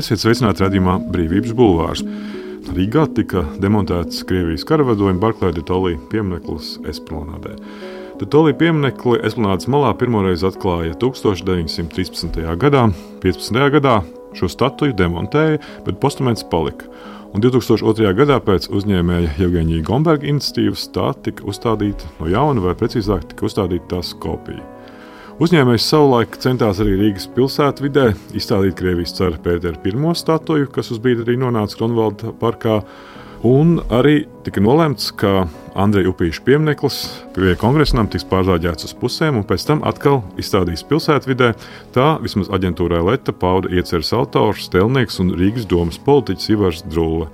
Esiet sveicināti raidījumā Brīvības bulvārs. Rīgā tika demontēts Krievijas karavadojuma Barklai de Tolly piemineklis Esplanādē. De Tolly pieminekli Esplanādes malā pirmoreiz atklāja 1913. gadā. 15. gadā šo statuju demontēja, bet postaments palika. Un 2002. gadā pēc uzņēmēja Jevgeņija Gomberga iniciatīvas tā tika uzstādīta no jauna, vai precīzāk tika uzstādīta tās kopija. Uzņēmējs savulaik centās arī Rīgas pilsētvidē izstādīt Krievijas cara Pētera I statuju, kas uz brīdi arī nonāca Kronvalda parkā, un arī tika nolemts, ka Andreja Upīša piemineklis pie Kongresnam tiks pārzāģēts uz pusēm un pēc tam atkal izstādīs pilsētvidē. Tā vismaz aģentūrai Leta pauda ieceres autors, tēlnieks un Rīgas domas politiķis Ivars Drulle.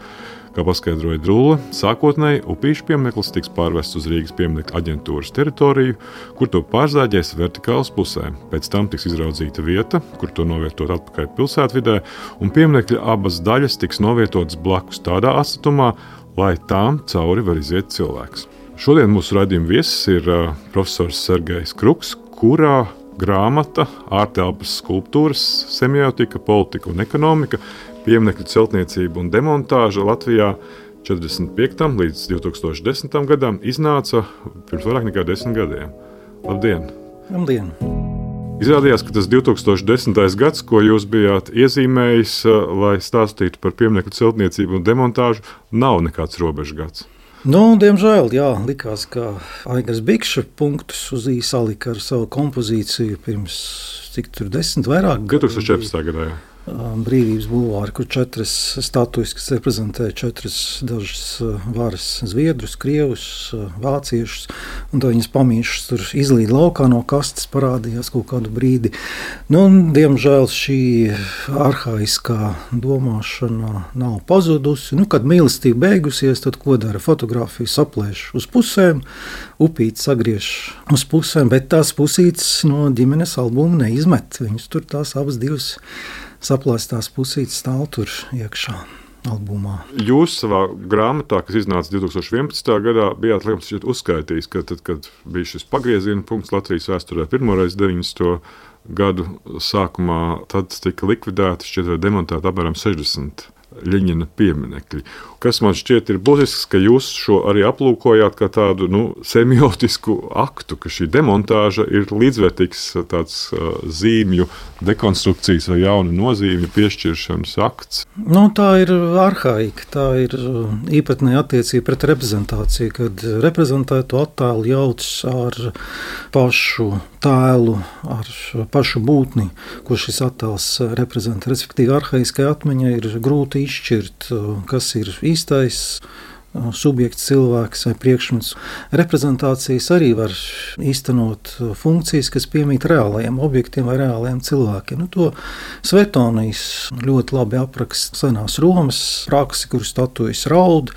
Kā paskaidroja Drulle, sākotnēji Upīša piemineklis tiks pārvests uz Rīgas pieminekļa aģentūras teritoriju, kur to pārzāģēs vertikāli uz pusēm. Pēc tam tiks izraudzīta vieta, kur to novietot atpakaļ pilsētvidē, un pieminekļa abas daļas tiks novietotas blakus tādā atstatumā, lai tām cauri var iziet cilvēks. Šodien mūsu raidījuma viesis ir profesors Sergejs Kruks, kurā grāmata ārtelpas skulptūras, semiotika, politika un ekonomika, pieminekļu celtniecība un demontāža Latvijā 45. līdz 2010. gadam iznāca pirms vairāk nekā 10 gadiem. Labdien! Labdien! Izrādījās, ka tas 2010. gads, ko jūs bijāt iezīmējis, lai stāstītu par pieminekļu celtniecību un demontāžu, nav nekāds robežgads. Diemžēl, likās, ka Aigars Bikša punktus uz ī salika ar savu kompozīciju pirms, cik tur 10 vairāk? 2014. gadā, jā. Brīvības bulvāri, kur 4 statujas, kas reprezentē 4 dažas varas zviedrus, krievus, vāciešus, un to viņas pamīšas tur izlīd laukā no kastes, parādījās kaut kādu brīdi. Diemžēl šī arhaiskā domāšana nav pazudusi. Kad mīlestība beigusies, tad ko dara? Fotogrāfiju saplēš uz pusēm, upīti sagriež uz pusēm, bet tās pusītes no ģimenes albuma neizmet. Viņas tur tās abas divas saplēstās pusītes stāv tur iekšā albumā. Jūs savā grāmatā, kas iznāca 2011. gadā, bijāt uzskaitījis, ka tad, kad bija šis pagrieziena punkts Latvijas vēsturē pirmoreiz 90. gadu sākumā, tad tika likvidēti, šķiet, vai demontēti apmēram 60 Ļeņina pieminekļi. Kas man šķiet ir būtisks, ka jūs šo arī aplūkojāt kā tādu semiotisku aktu, ka šī demontāža ir līdzvērtīgs tāds zīmju dekonstrukcijas vai jaunu nozīmju piešķiršanas akts. Tā ir arhaika, tā ir īpatnēja attiecība pret reprezentāciju, kad reprezentēto attēlu jauc ar pašu tēlu, ar pašu būtni, ko šis attēls reprezentē. Respektīvi, arhaiskai atmiņai ir grūti izšķirt, kas ir īstais subjekts, cilvēks vai priekšmets. Reprezentācijas arī var īstenot funkcijas, kas piemīt reālajiem objektiem vai reālajiem cilvēkiem. To Svetonijs ļoti labi apraksta senās Romas praksi, kur statujas raud,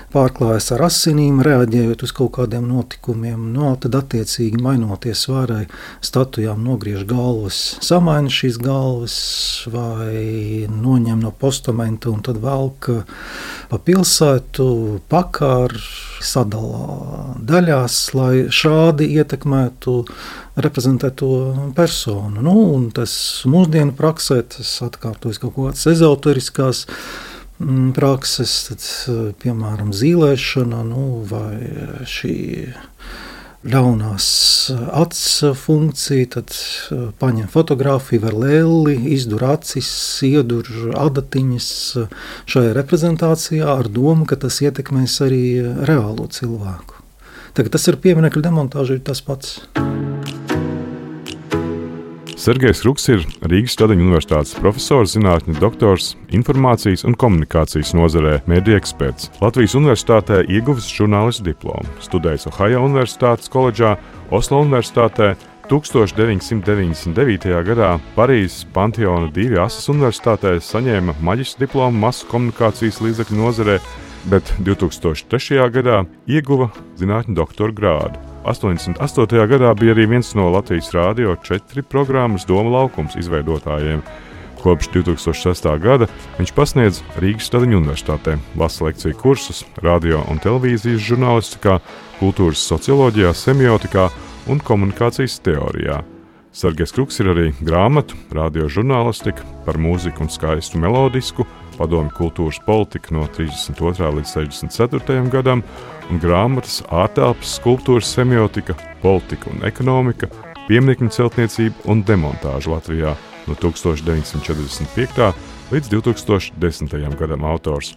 pārklājas ar asinīm, reaģējot uz kaut kādiem notikumiem. Tad attiecīgi mainoties svārai, statujām nogriež galvas, samaina šīs galvas vai noņem no postamenta un tad velk pa pilsētu, pakār, sadalā daļās, lai šādi ietekmētu reprezentēto personu. Un tas mūsdienu praksē, tas atkārtojas kaut kādas ezoteriskās prakses, tad, piemēram, zīlēšana, vai šī ļaunās acs funkcija, tad paņem fotogrāfiju ar lelli, izdur acis, iedur adatiņas šajā reprezentācijā ar domu, ka tas ietekmēs arī reālo cilvēku. Tagad tas ir pieminekļu demontāža, ir tas pats. Sergejs Kruks ir Rīgas Stradiņu universitātes profesors, zinātņu doktors, informācijas un komunikācijas nozarē, mēdīju eksperts. Latvijas universitātē ieguvis žurnālistu diplomu, studējis Ohajo universitātes koledžā, Oslo universitātē, 1999. gadā Parīzes Panteona Dīvi Asas universitātē saņēma maģistra diplomu masu komunikācijas līdzekļu nozarē, bet 2003. gadā ieguva zinātņu doktora grādu. 88. gadā bija arī viens no Latvijas Rādio 4 programmas Doma laukums izveidotājiem. Kopš 2006. gada viņš pasniedz Rīgas Stradiņu universitātē, lasa lekciju kursus radio un televīzijas žurnālistikā, kultūras socioloģijā, semiotikā un komunikācijas teorijā. Sergejs Kruks ir arī grāmatu, radiožurnālistika par mūziku un skaistu melodisku, padomju kultūras politika no 32. līdz 64. gadam un grāmatas ārtelpas skulptūras semiotika, politika un ekonomika, pieminekļu celtniecība un demontāža Latvijā no 1945. līdz 2010. gadam autors.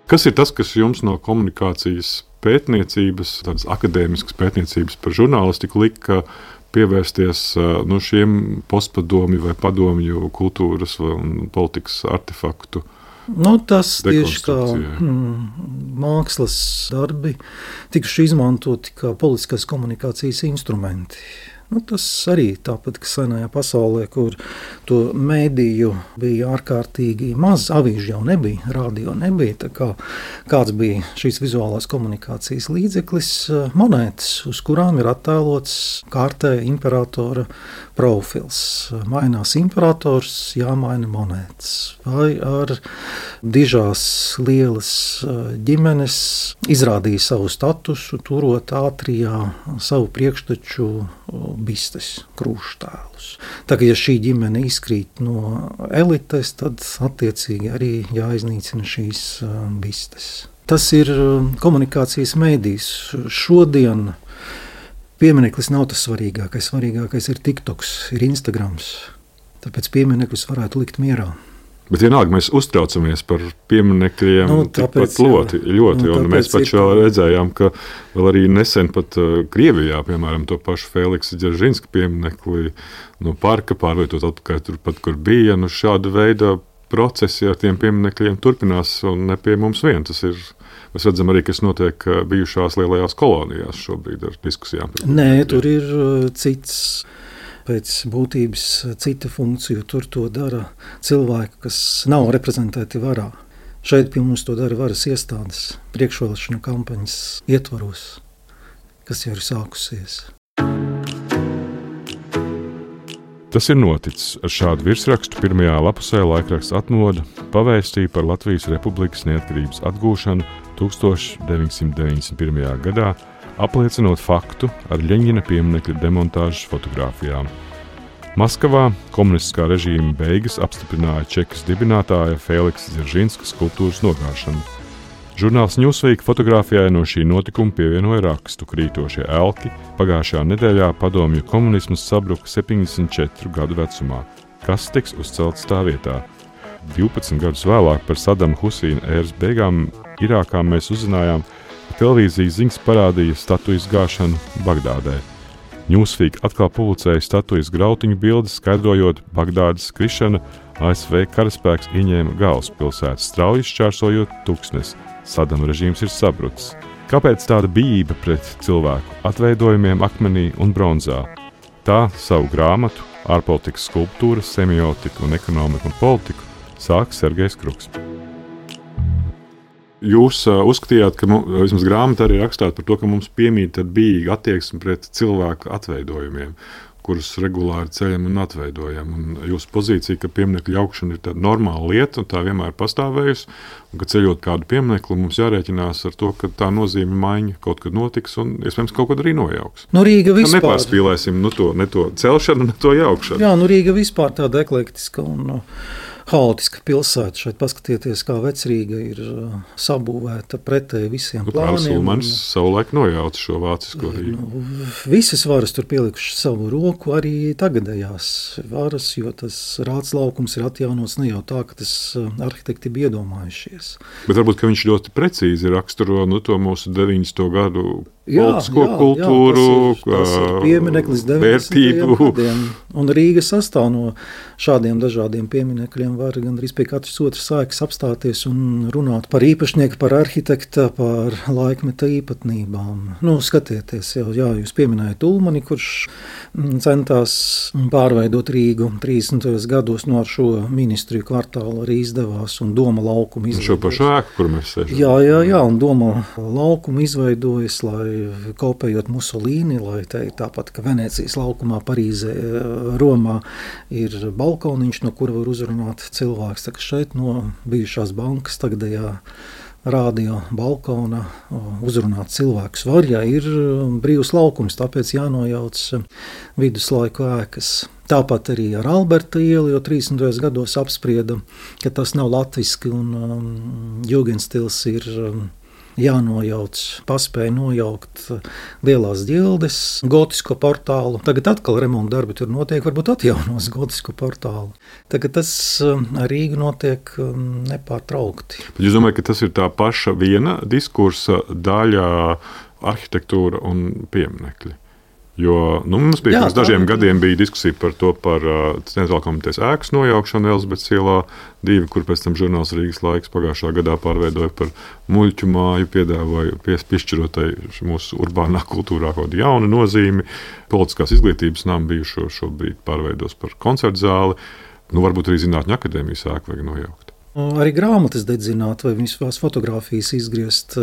Kas ir tas, kas jums no komunikācijas pētniecības, tādas akadēmiskas pētniecības par žurnālistiku lika pievērsties šiem postpadomju vai padomju kultūras un politikas artefaktu? Tas tieši kā mākslas darbi tikuši izmantoti kā politiskās komunikācijas instrumenti. Tas arī tāpat, ka senajā pasaulē, kur to mēdīju bija ārkārtīgi maz, avīžu jau nebija, radio nebija, tā kā kāds bija šīs vizuālās komunikācijas līdzeklis, monētas, uz kurām ir attēlots kārtē imperatora profils. Mainās imperators, jāmaina monētas. Vai ar dižās lielas ģimenes izrādīja savu statusu, turot ātrijā savu priekšteču bistes, krūštēlus. Tā kā ja šī ģimene izkrīt no elites, tad attiecīgi arī jāiznīcina šīs bistes. Tas ir komunikācijas mēdījis. Šodien piemineklis nav tas svarīgākais. Svarīgākais ir TikToks, ir Instagrams. Tāpēc piemineklis varētu likt mierā. Bet vienalga mēs uztraucamies par pieminekļiem ļoti. Un mēs paši vēl redzējām, ka vēl arī nesen pat Krievijā, piemēram, to pašu Feliksa Dzeržinska pieminekli no parka pārvietot atpakaļ turpat, kur bija. Šāda veida procesi ar tiem pieminekļiem turpinās un ne pie mums vien. Tas ir, mēs redzam arī, kas notiek bijušās lielajās kolonijās šobrīd ar diskusijām. Nē, tur ir cits. Pēc būtības cita funkcija, tur to dara cilvēki, kas nav reprezentēti varā. Šeit pie mums to dara varas iestādes priekšvēlēšanu kampaņas ietvaros, kas jau ir sākusies. Tas ir noticis. Ar šādu virsrakstu pirmajā lapusē laikraksts Atmoda pavēstīja par Latvijas Republikas neatkarības atgūšanu 1991. gadā, apliecinot faktu ar Ļeņina pieminekļa demontāžas fotogrāfijām. Maskavā komunistiskā režīma beigas apstiprināja Čekas dibinātāja Feliksa Dzeržinska skulptūras nogāšanu. Žurnāls Newsweek fotogrāfijai no šī notikuma pievienoja rakstu krītošie elki. Pagājušajā nedēļā padomju komunisms sabruka 74 gadu vecumā. Kas tiks uzcelts tā vietā? 12 gadus vēlāk par Sadama Husīna ēras beigām Irākā mēs uzzinājām, televīzijas ziņas parādīja statujas gāšanu Bagdādē. Newsweek atkal publicēja statujas grautiņu bildes, skaidrojot Bagdādas krišana, ASV karaspēks ieņēma galvaspilsētu, strauji šķērsojot tuksnesi. Sadama režīms ir sabrucis. Kāpēc tāda bijība pret cilvēku atveidojumiem akmenī un bronzā? Tā savu grāmatu, ārpolitikas skulptūra, semiotika un ekonomika un politiku sāk Sergejs Kruks. Jūs uzskatījāt, ka vismaz grāmatā arī rakstāt par to, ka mums piemīt tāda bijīga attieksme pret cilvēku atveidojumiem, kurus regulāri ceļam un atveidojam. Un jūsu pozīcija, ka pieminekļu jaukšana ir tāda normāla lieta un tā vienmēr pastāvējusi, un ka ceļot kādu pieminekli mums jārēķinās ar to, ka tā nozīme maiņa kaut kad notiks un, iespējams, kaut kad arī nojauks. Rīga vispār. Nepārspīlēsim ne to celšanu, ne to jaukšanu. Jā, Rīga vispār tāda eklektiska un haotiska pilsēta. Šeit paskatieties, kā Vecrīga ir sabūvēta pretēji visiem plāniem. Ulmanis savulaik nojauca šo vācisko Rīgu. Visas varas tur pielikuši savu roku, arī tagadējās varas, jo tas Rāts laukums ir atjaunots ne jau tā, ka tas arhitekti bija iedomājušies. Bet varbūt, ka viņš ļoti precīzi raksturo to mūsu 90. gadu politisko kultūru, tas ir piemineklis 90. gadiem. Un Rīga sastāv no šādiem dažādiem pieminekļiem. Var gandrīz pie katras otras sākas apstāties un runāt par īpašnieku, par arhitekta, par laikmeta īpatnībām. Skatieties, jūs pieminējat Ulmani, kurš centās pārveidot Rīgu 30. gados ar šo ministriju kvartālu arī izdevās un Doma laukumu izveidojas. Šo pašu ēku, kur mēs sēžam. Jā, un Doma laukumu izveidojas, lai kopējot Musolīni, lai te tāpat, ka Venēcijas laukumā, Parīzē, Romā ir balkoniņš, no kura var uzrunāt cilvēks. Tā kā šeit no bijušās bankas tagadējā rādio balkona uzrunāt cilvēkus var, ja ir brīvs laukums, tāpēc jānojauc viduslaiku ēkas. Tāpat arī ar Alberta ielu, jo 30. gados apsprieda, ka tas nav latviski un jūgenstils ir jānojauc, paspēja nojaukt lielās ģildes, gotisko portālu. Tagad atkal remonta darbi tur notiek, varbūt atjaunos gotisko portālu. Tagad tas Rīga notiek nepārtraukti. Jūs domājat, ka tas ir tā paša viena diskursa daļa arhitektūra un pieminekļi? Jo mums bija pirms dažiem gadiem bija diskusija par to, par Centrālā komitejas ēkas nojaukšanu Elizabetes ielā 2, kur pēc tam žurnāls Rīgas laiks pagājušā gadā pārveidoja par muļķu māju, piedāvāja piešķirotai mūsu urbānā kultūrā kaut kādu jaunu nozīmi. Politiskās izglītības nama bijušo šobrīd pārveidos par koncertu zāli. Varbūt arī Zinātņu akadēmijas ēku vajag nojaukt. Arī grāmatas dedzināt, vai visās fotogrāfijas izgriezt,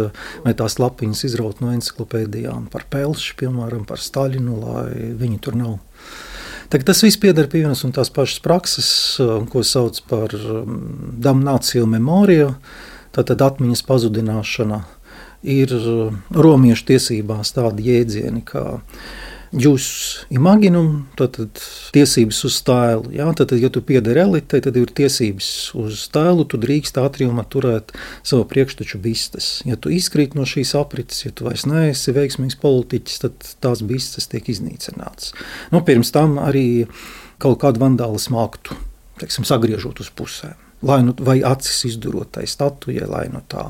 vai tās lapiņas izraut no enciklopēdijām par Pelši, piemēram, par Staļinu, lai viņi tur nav. Tagad tas viss pieder pie vienas un tās pašas prakses, ko sauc par damnāciju memoriju, tātad atmiņas pazudināšana. Ir romiešu tiesībās tādi jēdzieni, kā jus imaginum, tātad tiesības uz tēlu. Ja? Tātad, ja tu piederi elitei, tad ir tiesības uz tēlu, tu drīkst ātriumā turēt savu priekšteču bistes. Ja tu izkrīt no šīs aprites, ja tu vairs neesi veiksmīgs politiķis, tad tās bistes tiek iznīcināts. Pirms tam arī kaut kādu vandālismu aktu, sagriežot uz pusēm. Vai acis izdurot tai statujai, lai no tā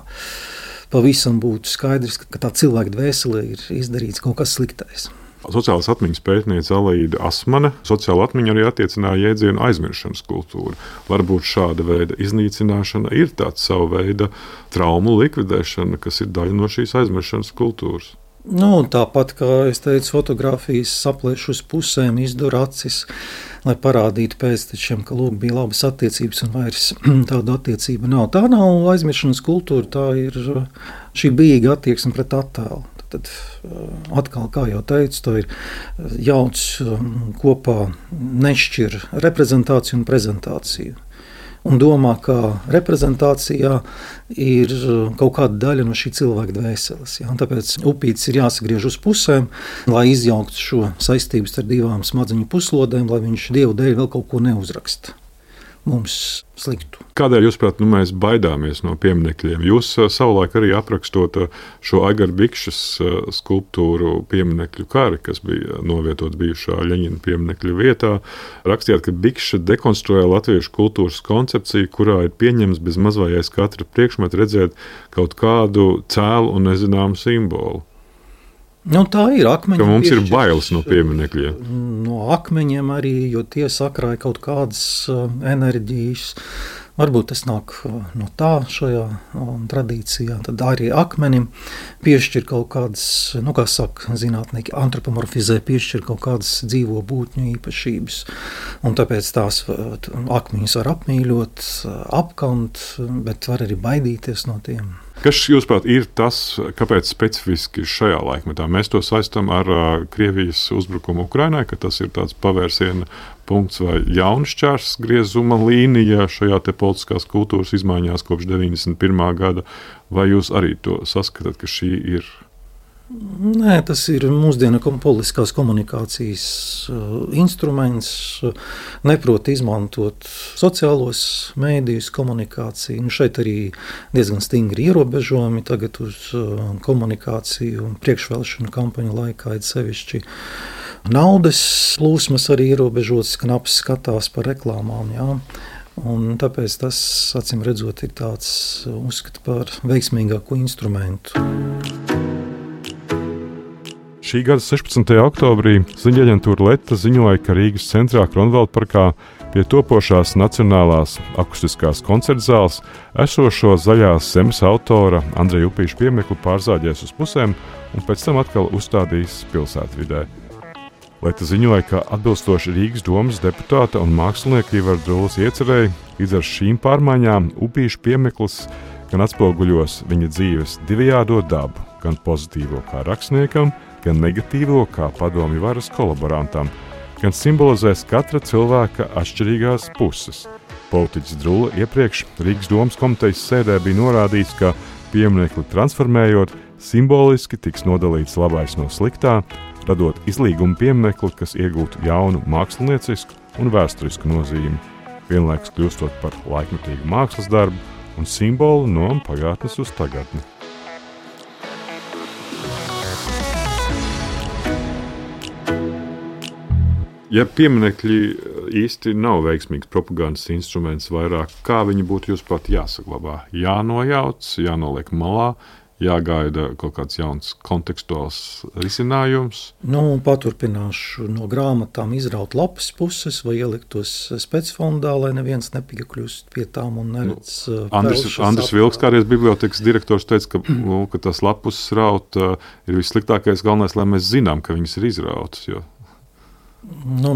pavisam būtu skaidrs, ka tā cilvēka dvēselē ir izdarīts kaut kas sliktais. Sociālās atmiņas pētniece Alīda Asmane sociālo atmiņu arī attiecināja jēdzienu aizmiršanas kultūru. Varbūt šāda veida iznīcināšana ir tāds sava veida traumu likvidēšana, kas ir daļa no šīs aizmiršanas kultūras. Tāpat, kā es teicu, fotogrāfijas saplēš uz pusēm, izdur acis, lai parādītu pēctečiem, ka bija labas attiecības un vairs tāda attiecība nav. Tā nav aizmiršanas kultūra, tā ir šī bijīga attieksme pret attēlu. Tad atkal, kā jau teicu, to ir jauc kopā nešķir reprezentāciju un prezentāciju. Un domā, ka reprezentācijā ir kaut kāda daļa no šī cilvēka dvēseles. Ja? Tāpēc upītis ir jāsagriež uz pusēm, lai izjauktu šo saistību starp divām smadzeņu puslodēm, lai viņš Dievu dēļ vēl kaut ko neuzraksta mums sliktu. Kādēļ, jūsuprāt, mēs baidāmies no pieminekļiem? Jūs savulaik arī aprakstot šo Aigara Bikšas skulptūru pieminekļu kari, kas bija novietots bijušā Ļeņina pieminekļu vietā, rakstījāt, ka Bikša dekonstruēja latviešu kultūras koncepciju, kurā ir pieņems bez mazvājais katra priekšmeta redzēt kaut kādu cēlu un nezināmu simbolu. Tā ir akmeņi. Ka mums ir bailes no pieminekļiem. No akmeņiem arī, jo tie sakrāja kaut kādas enerģijas. Varbūt tas nāk no tā šajā tradīcijā. Tad arī akmenim piešķir kaut kādas, kā saka zinātnieki, antropomorfizē, piešķir kaut kādas dzīvo būtņu īpašības. Un tāpēc tās akmeņus var apmīļot, apkant, bet var arī baidīties no tiem. Kas, jūsuprāt, ir tas, kāpēc specifiski šajā laikmetā mēs to saistām ar Krievijas uzbrukumu Ukrainai, ka tas ir tāds pavērsiena punkts vai jauns šķērs griezuma līnija šajā te politiskās kultūras izmaiņās kopš 91. gada, vai jūs arī to saskatāt, ka šī ir? Nē, tas ir mūsdienu politiskās komunikācijas instruments, neprot izmantot sociālos mēdījus komunikāciju. Šeit arī diezgan stingri ierobežojumi tagad uz komunikāciju priekšvēlēšanu kampaņu laikā, ir sevišķi naudas plūsmas arī ierobežotas, knaps skatās par reklāmām, jā. Un tāpēc tas, acīm redzot, ir tāds uzskata par veiksmīgāku instrumentu. Šī gada 16. oktobrī ziņu aģentūra Leta ziņoja, ka Rīgas centrā Kronvalda parkā pie topošās Nacionālās akustiskās koncertzāles esošo Zaļās zemes autora Andreja Upīša pieminekli pārzāģēs uz pusēm un pēc tam atkal uzstādīs pilsētvidē. Leta ziņoja, ka atbilstoši Rīgas domas deputāta un mākslinieka Ivara Drulas iecerēja, līdz ar šīm pārmaiņām Upīša piemineklis gan atspoguļos viņa dzīves divējādo dabu, gan pozitīvo kā rakstniekam, gan negatīvo kā padomju varas kolaborantam, gan simbolizēs katra cilvēka atšķirīgās puses. Politiķis Drula iepriekš Rīgas domas komitejas sēdē bija norādījis, ka Pieminekli transformējot, simboliski tiks nodalīts labais no sliktā, radot izlīguma pieminekli, kas iegūtu jaunu māksliniecisku un vēsturisku nozīmi, vienlaikus kļūstot par laikmetīgu mākslas darbu un simbolu no pagātnes uz tagadni. Ja pieminekļi īsti nav veiksmīgs propagandas instruments vairāk, kā viņi būtu jūsuprāt jāsaglabā? Jānojauc, jānoliek malā, jāgaida kaut kāds jauns kontekstuāls risinājums? Paturpināšu no grāmatām izraut lapas puses vai ielikt tos specfondā, lai neviens nepiekļūst pie tām un neredz Andris Vilks, kādreiz bibliotekas direktors, teica, ka tas lapus raut ir vissliktākais, galvenais, lai mēs zinām, ka viņas ir izrautas, jo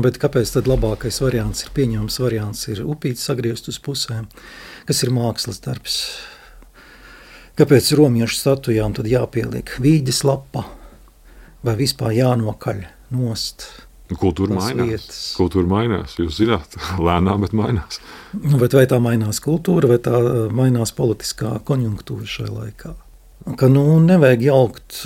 bet kāpēc tad labākais variants ir pieņemams variants ir upīti sagriezt uz pusēm, kas ir mākslas darbs? Kāpēc romiešu statujām tad jāpieliek vīģes lapa vai vispār jānokaļ nost? Kultūra mainās, jūs zināt, lēnām, bet mainās. Bet vai tā mainās kultūra, vai tā mainās politiskā konjunktūra šajā laikā? Ka nevajag jaukt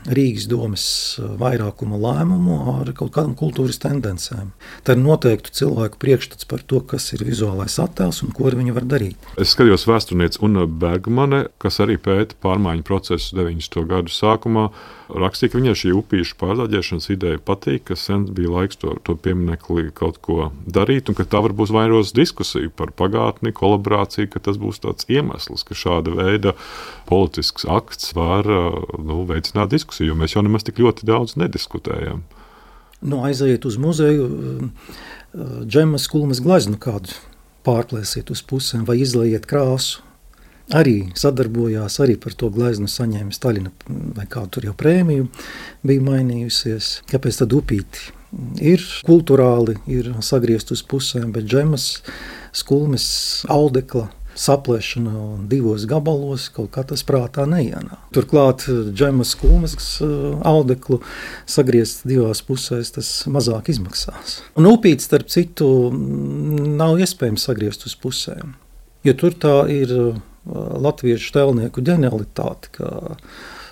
Rīgas domes vairākuma lēmumu ar kaut kādām kultūras tendencēm. Tā ir noteiktu cilvēku priekšstats par to, kas ir vizuālais attēls un ko viņi var darīt. Es skatījos vēsturniece Una Bergmane, kas arī pēta pārmaiņu procesu 90. gadu sākumā. Rakstīja, ka viņai šī upīšu pārdaļiešanas ideja patīk, ka sen bija laiks to pieminekli kaut ko darīt, un ka tā varbūt vairos diskusiju par pagātni, kolaborāciju, ka tas būs tāds iemesls, ka šāda veida politisks akts var veicināt diskusiju, jo mēs jau nemaz tik ļoti daudz nediskutējam. Aiziet uz muzeju, Džemas Kulmes gleznu kādu pārplēsiet uz pusēm vai izlaiet krāsu. Arī sadarbojās, arī par to gleznu saņēma Staļina vai kādu tur jau prēmiju bija mainījusies. Kāpēc tad upīti? Ir kulturāli, ir sagriezt uz pusēm, bet Džemas Kulmes audekla saplēšana divos gabalos kaut kā tas prātā neienāk. Turklāt Džemas Kulmes audeklu sagriezt divās pusēs, tas mazāk izmaksās. Un upīti, starp citu, nav iespējams sagriezt uz pusēm, jo tur tā ir latviešu tēlnieku ģenialitāte, ka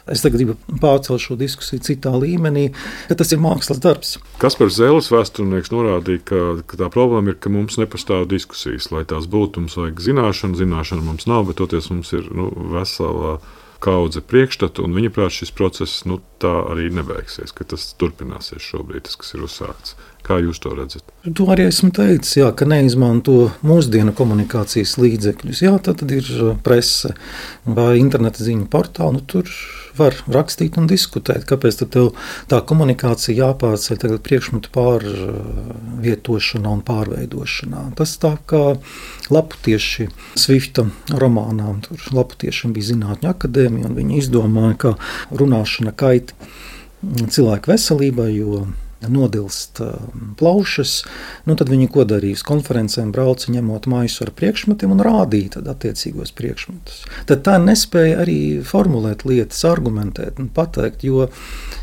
es tagad gribu pārcelt šo diskusiju citā līmenī, ka tas ir mākslas darbs. Kaspars Zēles vēsturnieks norādīja, ka tā problēma ir, ka mums nepastāv diskusijas, lai tās būtu, mums vajag zināšana mums nav, bet toties mums ir vesela kaudze priekšstatu, un viņa prāt šis process tā arī nebeigsies, ka tas turpināsies šobrīd, tas, kas ir uzsākts. Kā jūs to redzat? To arī esmu teicis, ka neizmanto mūsdienu komunikācijas līdzekļus. Tad ir prese vai interneta ziņu portāli, tur var rakstīt un diskutēt. Kāpēc tad tev tā komunikācija jāpārceļ tagad priekšmetu pārvietošanā un pārveidošanā? Tas tā kā Laputieši Svifta romānā, tur Laputiešiem bija zinātņu akadēmija, un viņi izdomāja, ka runāšana kaita cilvēku veselībai, jo nodilst plaušas, tad viņi ko darīja? Uz konferencēm brauca ņemot maisu ar priekšmetiem un rādīja tad attiecīgos priekšmetus. Tad tā nespēja arī formulēt lietas, argumentēt un pateikt, jo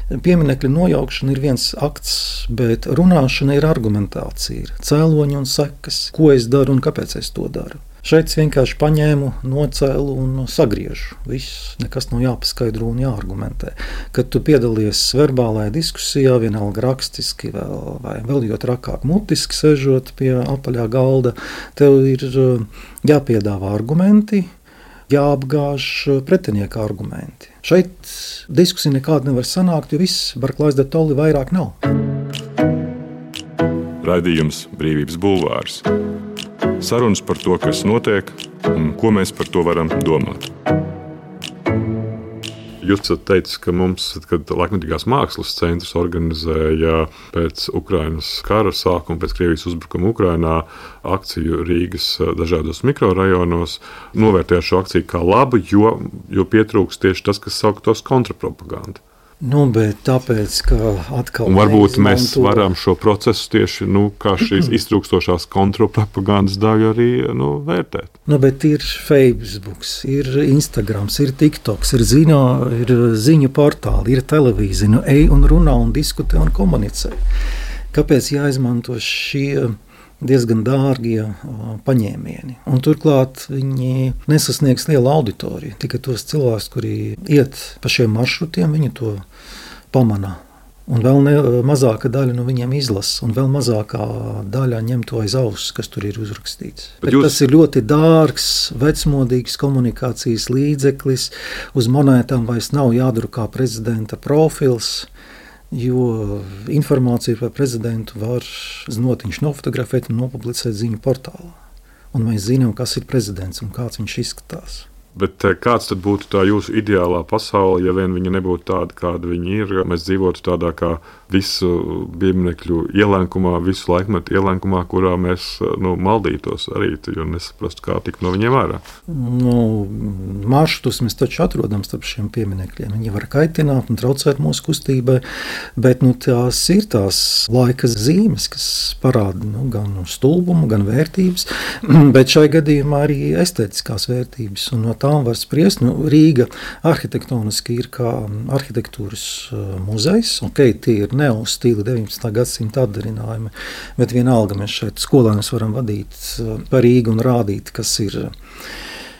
pieminekļa nojaukšana ir viens akts, bet runāšana ir argumentācija, ir cēloņi un sekas, ko es daru un kāpēc es to daru. Šeit es vienkārši paņēmu, nocēlu un sagriežu. Viss, nekas nav jāpaskaidro un jāargumentē. Kad tu piedalies verbālajā diskusijā, vienalga rakstiski vai vēl jo trakāk mutiski sežot pie apaļā galda, tev ir jāpiedāvā argumenti, jāapgāž pretinieka argumenti. Šeit diskusija nekāda nevar sanākt, jo viss Barklājs de Tolli vairāk nav. Raidījums Brīvības bulvārs. Sarunas par to, kas notiek un ko mēs par to varam domāt. Jūs esat teicis, ka mums, kad Laikmetīgās mākslas centrs organizēja pēc Ukrainas kara sākuma, pēc Krievijas uzbrukuma Ukrainā akciju Rīgas dažādos mikrorajonos, novērtēja šo akciju kā labu, jo pietrūks tieši tas, kas sauktos kontrapropaganda. Bet tāpēc, ka atkal... Un varbūt mēs varam šo procesu tieši, kā šīs iztrūkstošās kontrapropagandas daļu arī vērtēt. Bet ir Facebook, ir Instagrams, ir TikToks, ir ziņu portāli, ir televīzija. Ej un runā un diskutē un komunicē. Kāpēc jāizmanto šie diezgan dārgie paņēmieni. Un turklāt viņi nesasniegs lielu auditoriju. Tikai tos cilvēkus, kuri iet pa šiem maršrutiem, viņi to pamana. Un vēl mazāka daļa no viņiem izlasa, un vēl mazākā daļa ņem to aiz auss, kas tur ir uzrakstīts. Tas ir ļoti dārgs, vecmodīgs komunikācijas līdzeklis. Uz monētām vairs nav jādrukā prezidenta profils, jo informāciju par prezidentu var znotiņš nofotografēt un nopublicēt ziņu portālā. Un mēs zinām, kas ir prezidents un kāds viņš izskatās. Bet kāds tad būtu tā jūsu ideālā pasaule, ja vien viņa nebūtu tāda, kāda viņa ir? Mēs dzīvotu tādā kā visu pieminekļu ielēnkumā, visu laikmetu ielēnkumā, kurā mēs maldītos arī, jo nesaprastu, kā tikt no viņiem ārā. Maršrutus mēs taču atrodam starp šiem pieminekļiem. Viņi var kaitināt un traucēt mūsu kustībai, bet tās ir tās laika zīmes, kas parāda gan stulbumu, gan vērtības, bet šai gadījumā arī estētiskās vērtības. Un no tām var spriest. Rīga arhitektoniski ir kā arhitektūras muzejs. Tie ir neostili 19. gadsimta atdarinājumi, bet vienalga mēs šeit skolēnus varam vadīt pa Rīgu un rādīt, kas ir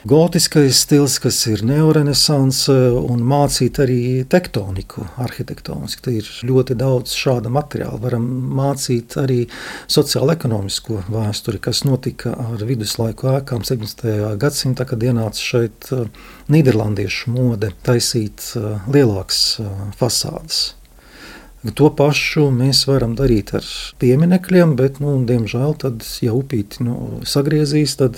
gotiskais stils, kas ir neorenesanse, un mācīt arī tektoniku arhitektoniski. Te ir ļoti daudz šāda materiāla. Varam mācīt arī sociālo-ekonomisko vēsturi, kas notika ar viduslaiku ēkām 17. gadsimtā, kad ienāca šeit nīderlandiešu mode taisīt lielākas fasādes. To pašu mēs varam darīt ar pieminekļiem, bet, diemžēl, tad, ja upīti sagriezīs, tad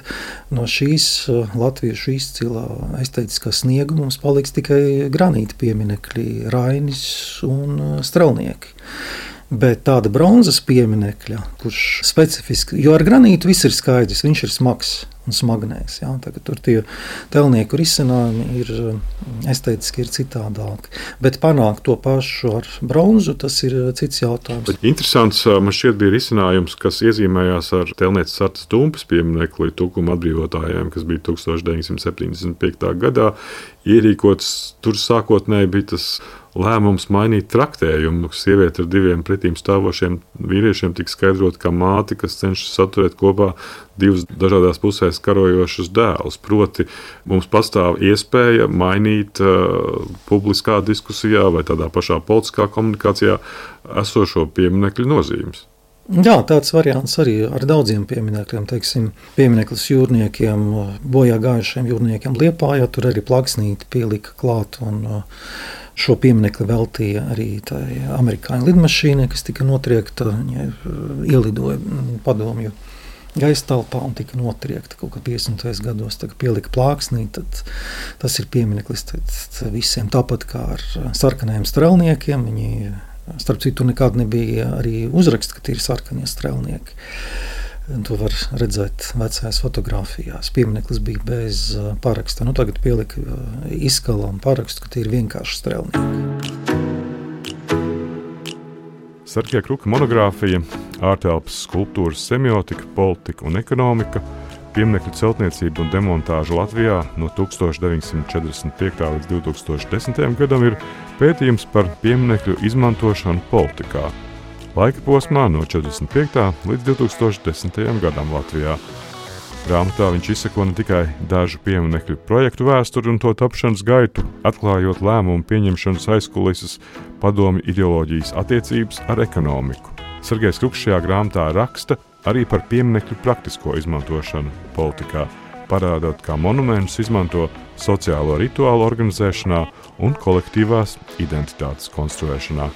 no šīs latviešu izcilā estētiskā sniega mums paliks tikai granīta pieminekļi, Rainis un Strelnieki. Bet tāda bronzas pieminekļa, kurš specifiski, jo ar granītu viss ir skaidrs, viņš ir smags un smagnējs. Tur tie telnieku risinājumi ir estētiski ir citādāki. Bet panākt to pašu ar bronzu, tas ir cits jautājums. Bet interesants man šķiet bija risinājums, kas iezīmējās ar telnieces Sartas Dumpes pieminekli Tukuma atbrīvotājiem, kas bija 1975. gadā ierīkots. Tur sākotnēji bija tas lēmums mainīt traktējumu. Sieviete ar diviem pretīm stāvošiem vīriešiem tika skaidrot kā māte, kas cenšas saturēt kopā divus dažādās pusēs karojošus dēlus. Proti, mums pastāv iespēja mainīt publiskā diskusijā vai tādā pašā politiskā komunikācijā esošo pieminekļu nozīmes. Jā, tāds variants arī ar daudziem pieminekļiem. Piemineklis jūrniekiem, bojā gājušiem jūrniekiem Liepājā, tur arī plaksnīti pielika klāt, un šo pieminekli veltīja arī tai amerikāņu lidmašīnai, kas tika notriekta, ielidoja padomju gaisa telpā un tika notriekta kaut kā 50. gados, pielika plāksnī, tad tas ir piemineklis visiem. Tāpat kā ar sarkanajiem strelniekiem, viņi, starp citu, nekad nebija arī uzraksts, ka tie ir sarkanie strelnieki. To var redzēt vecajās fotogrāfijās. Piemineklis bija bez paraksta. Tagad pielika izskalam parakstu, ka tie ir vienkārši strelnieki. Sarkija Kruka monogrāfija ārtelpas skulptūras semiotika, politika un ekonomika, pieminekļu celtniecība un demontāža Latvijā no 1945. līdz 2010. gadam ir pētījums par pieminekļu izmantošanu politikā. Laika posmā no 45. līdz 2010. gadam Latvijā. Grāmatā viņš izseko ne tikai dažu pieminekļu projektu vēsturi un to tapšanas gaitu, atklājot lēmumu pieņemšanas aizkulises padomju ideoloģijas attiecības ar ekonomiku. Sargejs Kruks šajā grāmatā raksta arī par pieminekļu praktisko izmantošanu politikā, parādot, kā monumentus izmanto sociālo rituālu organizēšanā un kolektīvās identitātes konstruēšanā.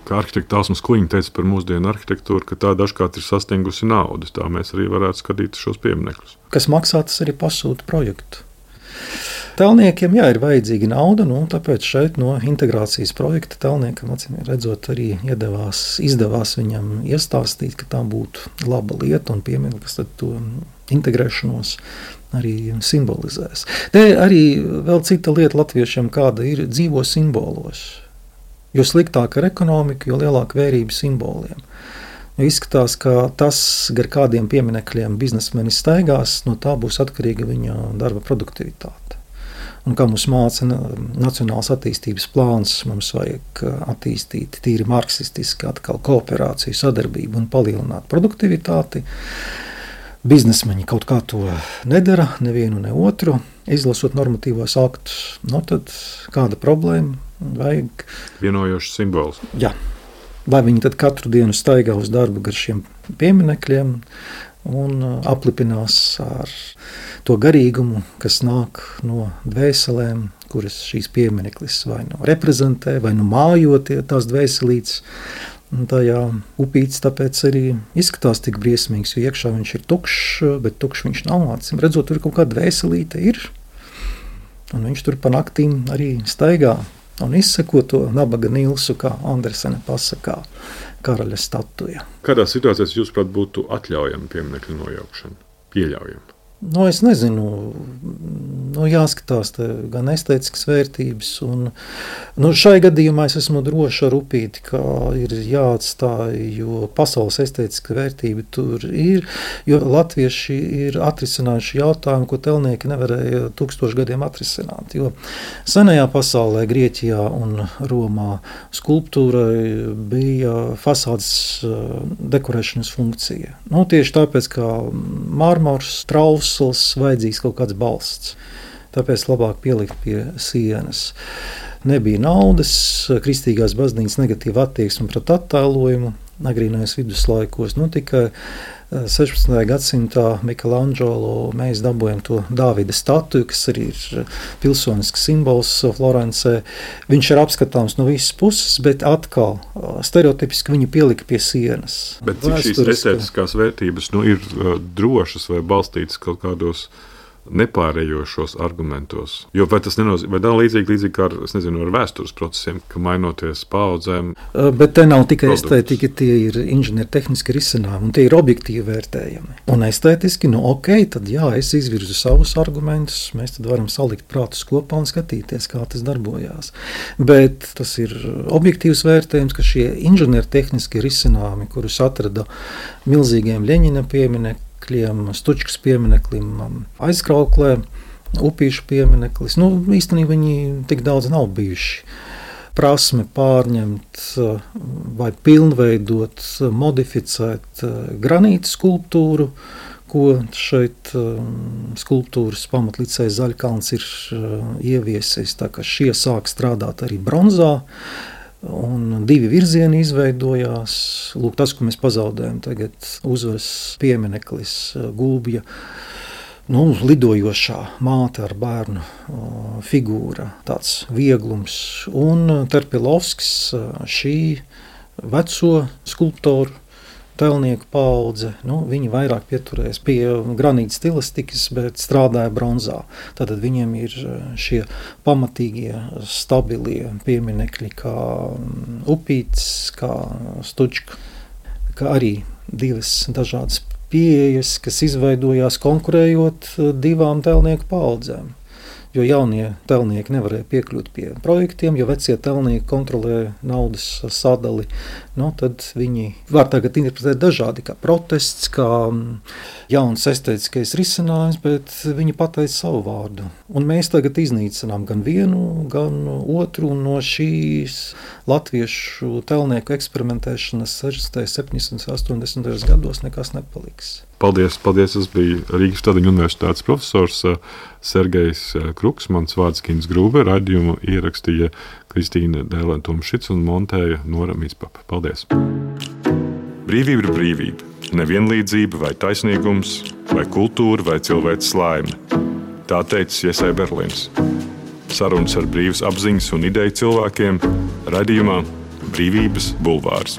Kā arhitekta Tāsmas Kuiņa teica par mūsdienu arhitektūru, ka tā dažkārt ir sastingusi naudu. Tā mēs arī varētu skatīt šos pieminekļus. Kas maksā, tas arī pasūta projektu. Telniekiem ir vajadzīga nauda, tāpēc šeit no integrācijas projekta telniekam, acīm redzot, arī izdevās viņam iestāstīt, ka tā būtu laba lieta un piemineklis tad to integrēšanos arī simbolizēs. Te arī vēl cita lieta latviešiem, kāda ir dzīvo simbolos. Jo sliktāk ar ekonomiku, jo lielāka vērība simboliem. Izskatās, ka tas, gar kādiem pieminekļiem biznesmeni staigās, no tā būs atkarīga viņa darba produktivitāte. Un kā mums māca nacionāls attīstības plāns, mums vajag attīstīt tīri marksistiski atkal kooperāciju, sadarbību un palielināt produktivitāti. Biznesmeņi kaut kā to nedara, nevienu ne otru, izlasot normatīvos aktus. Tad kāda problēma? Vajag vienojošs simbols. Jā. Lai viņi tad katru dienu staigā uz darbu gar šiem pieminekļiem un aplipinās ar to garīgumu, kas nāk no dvēselēm, kuras šīs piemineklis vai nu reprezentē, vai nu mājotie tās dvēselītes. Tajā upītis tāpēc arī izskatās tik briesmīgs, jo iekšā viņš ir tukšs, bet tukšs viņš nav. Acīm redzot, tur kaut kāda dvēselīte ir, un viņš tur pa naktīm arī staigā un izseko to nabaga Nilsu, kā Andersene pasakā, karaļa statuja. Kādā situācijā jūs, prāt, būtu atļaujama pieminekļu nojaukšana? Pieļaujama? Es nezinu, jāskatās gan estētiskas vērtības, un šai gadījumā es esmu droši ar upīti, ka ir jāatstāj, jo pasaules estētiska vērtība tur ir, jo latvieši ir atrisinājuši jautājumu, ko telnieki nevarēja 1000 gadiem atrisināt, jo senajā pasaulē, Grieķijā un Romā skulptūrai bija fasādes dekorēšanas funkcija. Tieši tāpēc, kā mārmors, traus, vajadzīgs kaut kāds balsts. Tāpēc labāk pielikt pie sienas. Nebija naudas, kristīgās baznīcas negatīva attieksme pret attēlojumu agrīnajos viduslaikos. Tikai 16. gadsimtā Michelangelo mēs dabūjam to Dāvida statuju, kas arī ir pilsonisks simbols Florencē. Viņš ir apskatāms no visas puses, bet atkal stereotipiski viņu pielika pie sienas. Bet cik šīs estētiskās vērtības ir drošas vai balstītas kaut kādos nepārējošos argumentos? Jo vai tas nenozīmē, vai tā līdzīgi kā ar vēstures procesiem, ka mainoties paudzēm? Bet te nav tikai estētika, tie ir inženiertehniski risinājumi, un tie ir objektīvi vērtējami. Un estētiski, tad jā, es izvirzu savus argumentus, mēs tad varam salikt prātus kopā un skatīties, kā tas darbojās. Bet tas ir objektīvs vērtējums, ka šie inženiertehniski risinājumi, kurus atrada milzīgiem Ļeņina pieminekļiem, Stučkas piemineklim, aizkrauklē, upīšu piemineklis. Īstenībā viņi tik daudz nav bijuši. Prasme pārņemt vai pilnveidot, modificēt granīta skulptūru, ko šeit skulptūras pamatlicējs Zaļkalns ir ieviesis, tā ka šie sāk strādāt arī bronzā. Un 2 virzieni izveidojās. Tas, ko mēs pazaudējam tagad, uzvaras piemineklis Gulbja, lidojošā māte ar bērnu figūra, tāds vieglums. Un Terpilovskis, šī veco skulptoru telnieku paudze, viņi vairāk pieturēs pie granīta stilistikas, bet strādāja bronzā. Tātad viņiem ir šie pamatīgie, stabilie pieminekļi, kā upītis, kā Stučka, kā arī 2 dažādas pieejas, kas izveidojās konkurējot 2 telnieku paudzēm. Jo jaunie telnieki nevarēja piekļūt pie projektiem, jo vecie telnieki kontrolē naudas sadali. Tad viņi var tagad interpretēt dažādi, kā protests, kā jauns estētiskais risinājums, bet viņi pateica savu vārdu. Un mēs tagad iznīcinām gan vienu, gan otru, un no šīs latviešu telnieku eksperimentēšanas 60., 70., 80. gados nekas nepaliks. Paldies! Tas bija Rīgas Stradiņu universitātes profesors Sergejs Kruks, mans vārds Kins Grūbe, raidījumu ierakstīja Kristīne Dēlēn-Tomšits un montēja Nora Mītspapa. Paldies! Brīvība ir brīvība. Nevienlīdzība vai taisnīgums, vai kultūra, vai cilvēks laime. Tā teica Iesai Berlīns. Sarunas ar brīvas apziņas un ideju cilvēkiem raidījumā Brīvības bulvārs.